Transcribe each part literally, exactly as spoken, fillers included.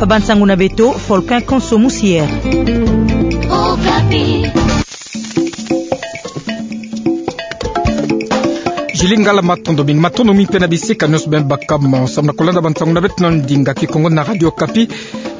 Bansangu na beto, Volcan Konso Musier. Okapi. Zili ngala matondo mingi, matondo mingi mpe na bisika nyonso beno baka mo samu na kulanda bansangu na beto na ndinga Kikongo na Radio Okapi.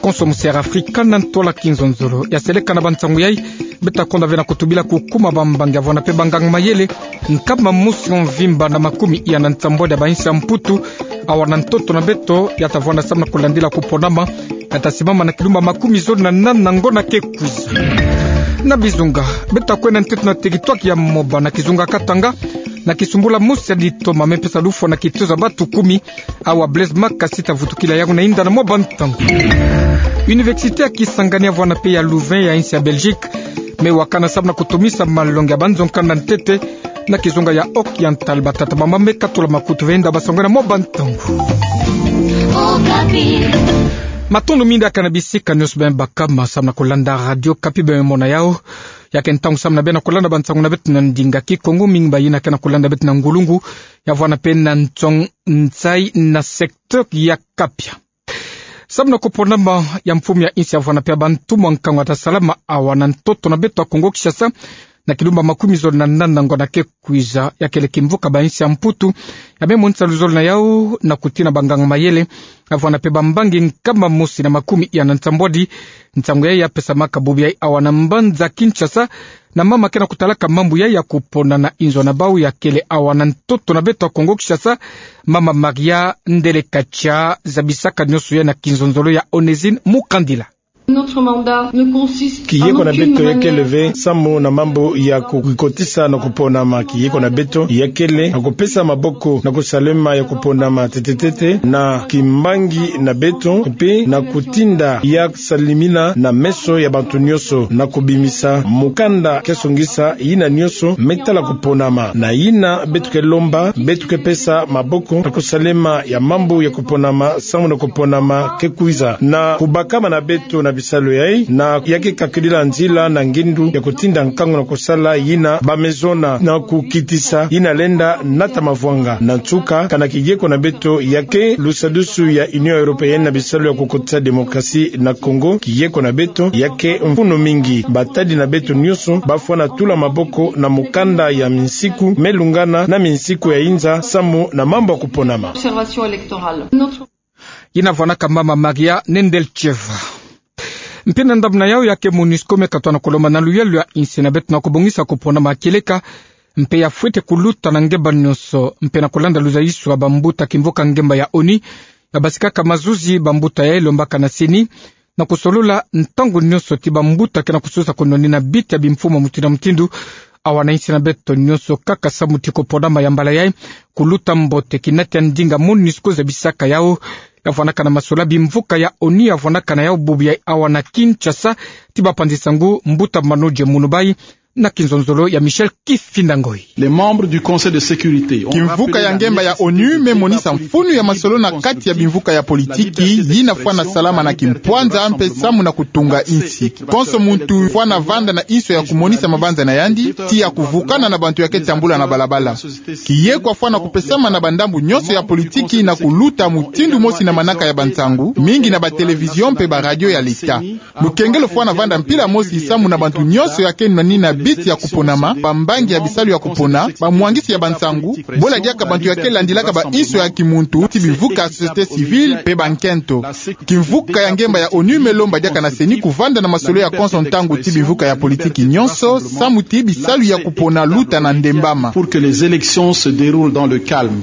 Konso Musier Afrika na ntwala kinzonzolo. Ya seleka na bansangu yai, beta konda ve na kutubila kukuma bambangi ya vwanda mpe banganga mayele nkama mosi mvimba na makumi iya na nsambwadi ya bainsi ya Mputu, awa na ntoto na beto ya ta vwanda samu na kulandila kuponama, ya ta simama na kilumba makumi zole na nana ngonda ke kwiza. Na bizunga, beta kwenda nteteno na teritware ya Moba na kizunga Katanga, na kisumbula mosi ya ditoma me pesa lufwa na kitezo ya batu kumi, awa Blaise Makasi ta vutukila yawu na inda na mwa bantangu. Université ya Kisangani ya vwanda mpe ya Louvain ya insi ya Belgique me wakana samu na kutomisa malongi ya banzo nkanda ntete na kizunga ya Occidental. Batata bamama me katula makutu ve inda basangu na mwa bantangu. Matondo mingi diaka na bisika nyonso beno baka mo samu na kulanda Radio Okapi, beno mona yawu. Ya ke ntangu samu na beno kulanda bansangu na beto na ndinga Kikongo, mingi ba yina ke na kulanda beto na ngulungu, ya vwanda mpe na nsong nsai na secteur ya Kapia. Samu na kuponama ya mfumu ya insi ya vwanda mpe ya bantu mwa nkangu ya ta salama awa na ntoto na beto ya Kongo Kinshasa, na kilumba makumi zole na nana ngonda ke kwiza, ya kele kimvuka bainsi ya Mputu ya me monisa luzolo na yawu na kutina banganga mayele ya vwanda mpe bambangi nkama mosi na makumi iya na nsambwadi. Nsangu yai ya pesamaka bubu yai awa na mbanza Kinshasa na mama ke na kutalaka mambu yai ya kupona na inzo na bawu ya kele awa na ntoto na beto ya Kongo Kinshasa, mama Maria Ndelekatcha. Zabisaka nyonso yai na kinzonzolo ya Onésine Mukandila. Kiye ko na beto ya kele ve samu na mambu ya kukikotisa na kuponama. Kiye ko na beto ya kele na kupesa maboko na kusalema ya kuponama tetetete na kimbangi na beto mpe na kutinda ya salimina na meso ya bantu nyonso na kubimisa mukanda ke songisa yina nyonso me tala kuponama. Na yina beto ke lomba, beto ke pesa maboko na kusalema ya mambu ya kuponama samu na kuponama ke kwiza, na kubakama na beto na bisalu yai, na ya ke kakidila nzila na ngindu ya kutinda nkangu na kusala yina bamezona na kukitisa yina lenda nata mavwanga. Na nsuka, kana kiye ko na beto ya ke lusadusu ya Union Européenne na bisalu ya kukotisa démocratie na Kongo, kiye ko na beto ya ke mfunu mingi. Batadi na beto nyonso bafwana tula maboko na mukanda ya minsiku me lungana na minsiku ya inza samu na mambu ya kuponama. Yina vwanaka mama Maria Nedelcheva. Mpe na ndambu na yawu ya ke MONUSCO me katwa na kulomba na luyalu ya insi na beto na kubongisa kuponama kieleka, mpe ya fwete kuluta na ngemba nyonso, mpe na kulanda luzayiswa bambuta kimvuka ngemba ya ONU, ya basikaka mazuzi bambuta yai lombaka na CENI, na kusolola ntangu nyonso ti bambuta ke na kusosa kunwanina biti ya bimfumu mutindu na mutindu, awa na insi na beto nyonso kaka samu ti kuponama ya mbala yai kuluta mbote. Kinati ya ndinga MONUSCO zabisaka yawu, ya vwanaka na masololi bimvuka ya ONU ya vwanaka na yawu bubu yai awa na Kinshasa, ti bapanzi nsangu mbuta Manodje Munubai, na kinzonzolo ya Michel Kifinda Ngoi. Les membres du Conseil de sécurité ont Kimvuka ya ngemba ya ONU me monisa mfunu ya masolo na kati ya bimvuka ya politiki, yina fwana salama na kimpwanza mpe samu na kutunga insi. Konso muntu fwana vanda na inso ya kumonisa mabanza na yandi, ti ya kuvukana na bantu ya ke tambula na balabala. Kiye kwa fwana kupesama na bandambu nyonso ya politiki na kuluta mutindu mosi na manaka ya bansangu, mingi na ba télévision mpe ba radio ya leta. Lukengelo fwana vanda mpila mosi samu na bantu nyonso ya ke nwanina biti ya kuponama, bambangi ya bisalu ya kupona, bamwangisi ya bansangu, bola diaka bantu ya ke landilaka bainso ya kimuntu, ti bimvuka société civile, mpe bankento. Kimvuka ya ngemba ya ONU me lomba diaka na CENI kuvanda na masolo ya konso ntangu ti bimvuka ya politiki nyonso, samu ti bisalu ya kupona luta na ndembama. Pour que les élections se déroulent dans le calme.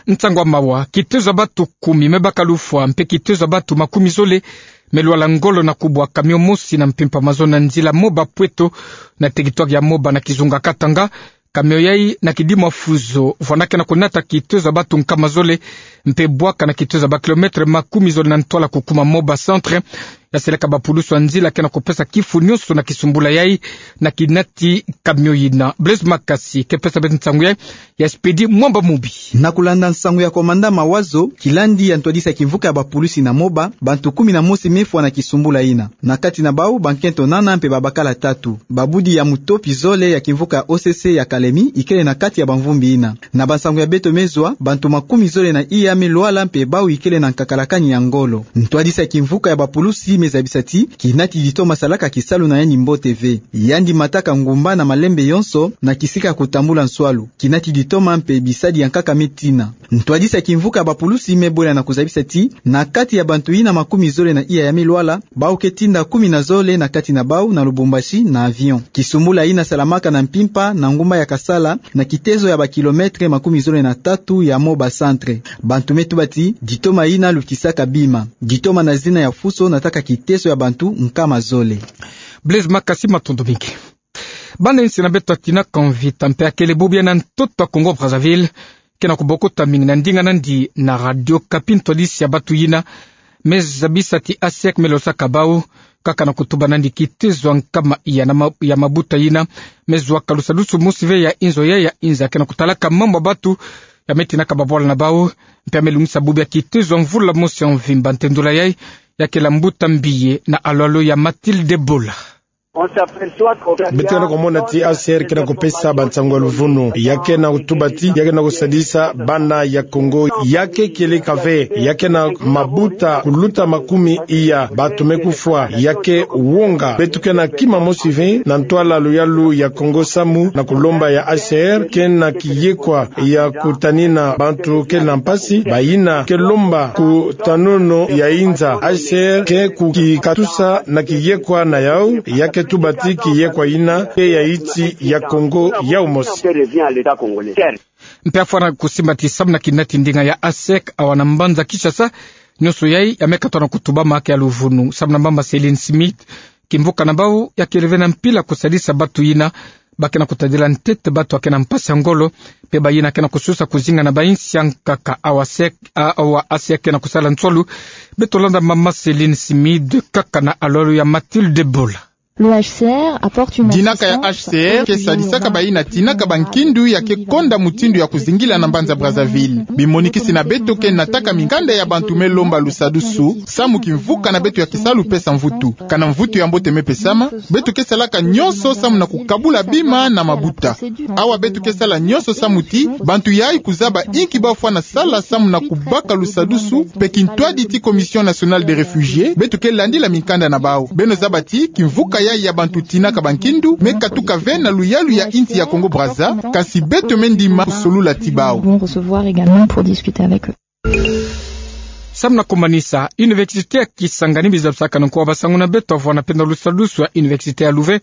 Nsangu ya mawa, kitezo ya batu kumi me baka lufwa, mpe kitezo ya batu makumi zole me lwala ngolo na kubwa camion mosi na mpimpa mazono na nzila Moba Pueto, na territoire ya Moba na kizunga Katanga. Camion yai na kidimwa Fuso, vwanda ke na kunata kitezo ya batu nkama zole, mpe bwaka na kitezo ya ba kilomètre makumi zole na ntwala kukuma Moba Centre, ya seleka bapulusi ya nzila ke na kupesa kifu nyonso na kisumbula yai na kinati camion yina. Blaise Makasi ke pesa beto nsangu yai ya Expedit Mwamba Mubi. Na kulanda nsangu ya komanda Mawazo, kilandi ya ntwadisi ya kimvuka ya bapulusi na Moba, bantu kumi na mosi me fwa na kisumbula yina. Na kati na bau, bankento nana mpe babakala tatu. Babudi ya mutopi zole ya kimvuka ya O C C ya Kalemi ikele na kati ya bamvumbi yina. Na bansangu ya beto me zwa, bantu makumi zole na iya me lwala mpe bau ikele na nkakalakani ya ngolo. Ntwadisi ya kimvuka ya bapulusi me zabisa ti kinati ditoma salaka kisalu na yandi mbote ve. Yandi mataka ngumba na malembe yonso na kisika ya kutambula nswalu. Kinati ditoma mpe bisadi ya nkaka me tina. Ntwadisi ya kimvuka ya bapulusi me bwela na kuzabisa ti na kati ya bantu yina makumi zole na iya ya me lwala, bau ke tinda kumi na zole na kati na bau na Lubumbashi na avion. Kisumbula yina salamaka na mpimpa na ngumba ya Kasala, na kitezo ya bakilometre makumi zole na tatu ya Moba Centre. Bantu me tuba ti ditoma yina lutisaka bima. Ditoma na zina ya fuso nataka kitezo ya bantu nkama zole. Blaise Makasi, matondo mingi. Bana insi na beto ya tinaka mvita mpe ya kele bubu ya na ntoto ya Congo Brazzaville ke na kubokota mingi. Na ndinga nandi na Radio Okapi, ntwadisi ya batu yina me zabisa ti A C R me losaka bau, kaka na kutuba nandi kitezo ya nkama iya na ma-, ya mabuta yina me zwaka lusadusu mosi ve ya inzo ya, ya inza ke na kutalaka mambu ya batu ya me tinaka babwala na bau, mpe ya me lungisa bubu ya kitezo ya mvula mosi ya mvimba. Ntendula yai ya kela mbuta mbiye na alolo ya Mathilde Bola. Beto ke na kumona ti A C R ke na kupesa bansangu ya luvunu. Ya ke na kutuba ti ya ke na kusadisa bana ya Congo. Ya ke kieleka ve. Ya ke na mabuta kuluta makumi iya. Batu me kufwa. Ya ke wonga. Beto ke na kima mosi ve na ntwala luyalu ya Kongo samu na kulomba ya A C R ke na kiyekwa ya kutanina bantu ke na mpasi, bayina ke lomba kutanono ya inza. A C R ke kukikatusa na kiyekwa na yau, ya ke tuba ti kiyekwa yina ke ya iti ya Kongo yau mosi. Mpe afwana kusimba ti samu na kinati ndinga ya A C R awa na mbanza Kinshasa, nyonso yai ya me katwa na kutubama ke ya luvunu. Samu na mama Céline Smith, kimvuka na bau ya kele ve na mpila kusadisa batu yina ba ke na kutadila ntete batu ya ke na mpasi ya ngolo, mpe bayina ke na kususa kuzinga na bainsi ya nkaka. Awa sek-, a-, awa A C R ke na kusala nswalu. Beto landa mama Céline Smith kaka na alolo ya Mathilde Bola. Dinaka ya H C R ke sadisaka bayina tinaka bankindu ya ke konda mutindu ya kuzingila na mbanza Brazzaville. Bimonikisi na beto ke nataka minkanda ya bantu me lomba lusadusu, samu kimvuka na beto ya kisalu pesa mvutu. Kana mvutu ya mbote me pesama, beto ke salaka nyonso samu na kukabula bima na mabuta. Awa beto ke sala nyonso samu ti bantu yai kuzaba inki ba fwana sala samu na kubaka lusadusu, mpe kintwadi ti Commission Nationale des Réfugiés, beto ke landila minkanda na bau. Beno zaba ti kimvuka yai ya bantu tinaka bankindu me katuka ve na luyalu ya insi ya Congo Brazza, kasi beto me ndima kusolula ti bau. Nous devons recevoir également pour discuter avec eux. Samu na kumanisa, Université ya Kisangani, bizabisaka na nkuwa basangu na beto, avwanda mpe na lusadusu ya Université ya Louvain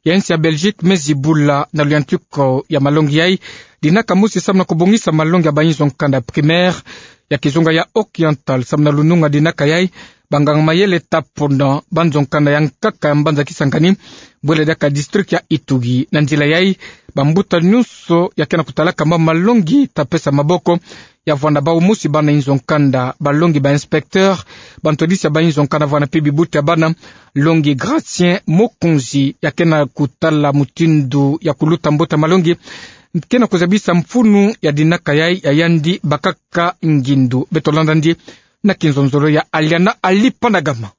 ya insi ya Belgique, me zibula na luyantika ya malongi yai, dinaka mosi samu na kubongisa malongi ya bainzo nkanda primaire ya kizunga ya Oriental. Samu na lununga dinaka yai, banganga mayele taponda banzo nkanda ya nkaka ya mbanza Kisangani, bwele diaka district ya Ituri. Na nzila yai, bambuta nyonso ya ke na kutalaka mwa malongi ta pesa maboko ya vwanda bau mosi bana inzo nkanda, balongi ba inspecteur, bantwadisi ya bainzo nkanda, vwanda mpe bibuta ya bana. Longi Gratien Mokonzi ya ke na kutala mutindu ya kuluta mbuta malongi ke na kuzabisa mfunu ya dinaka yai ya yandi bakaka ngindu. Beto landa ndi na kinzonzolo ya Aliana Alipanagama.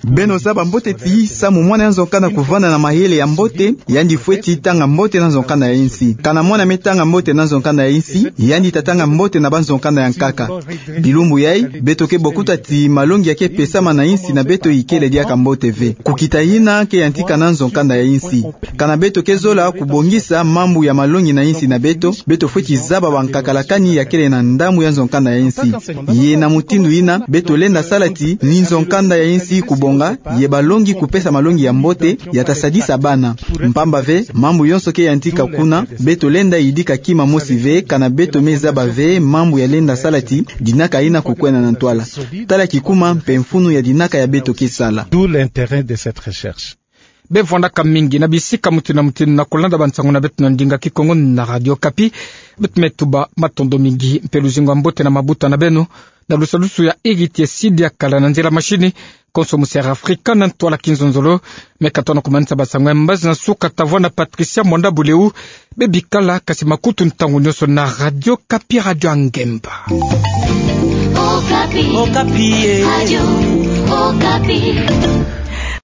Beno zaba mbote ti samu mwana ya nzo nkanda kuvanda na mayele ya mbote, yandi fweti tanga mbote na nzo nkanda ya insi. Kana mwana me tanga mbote na nzo nkanda ya insi, yandi ta tanga mbote na banzo nkanda ya nkaka. Bilumbu yai, beto ke bokuta ti malongi ya ke pesama na insi na beto ikele diaka mbote ve. Kukita yina ke yantika na nzo nkanda ya insi. Kana beto ke zola kubongisa mambu ya malongi na insi na beto, beto fweti zaba bankakalakani ya kele na ndambu ya nzo nkanda ya insi. Ye na mutindu yina, beto lenda sala ti ni nzo nkanda ya insi kubonga, ye balongi kupesa malongi ya mbote, ya ta sadisa bana. Mpamba ve, mambu yonso ke yantika kuna, beto lenda yidika kima mosi ve, kana beto me zaba ve mambu ya lenda sala ti dinaka yina kukwenda na ntwala. Tala kikuma mpe mfunu ya dinaka ya beto ke sala. D'où l'intérêt de cette recherche. bevwandaka mingi na bisika motinu na motinu na kolanda bansango na beto na ndinga Kikongo na Radio Okapi. Beto me tuba matondo mingi mpe luzingu ya mbote na mabuta na beno na lusalusu ya Héritier Sidi Akala, na nzila mashini Konso Musiara Afrika na ntwala kinzonzolo. Me katona kumanisa bansango ya mbazi na suka, tavwanda Patricia Mwanda Buleu. Bebikala kasi makutu ntangu nyonso na Radio Okapi, radio ya ngemba. Okapi. Okapi, eh. Radio Okapi.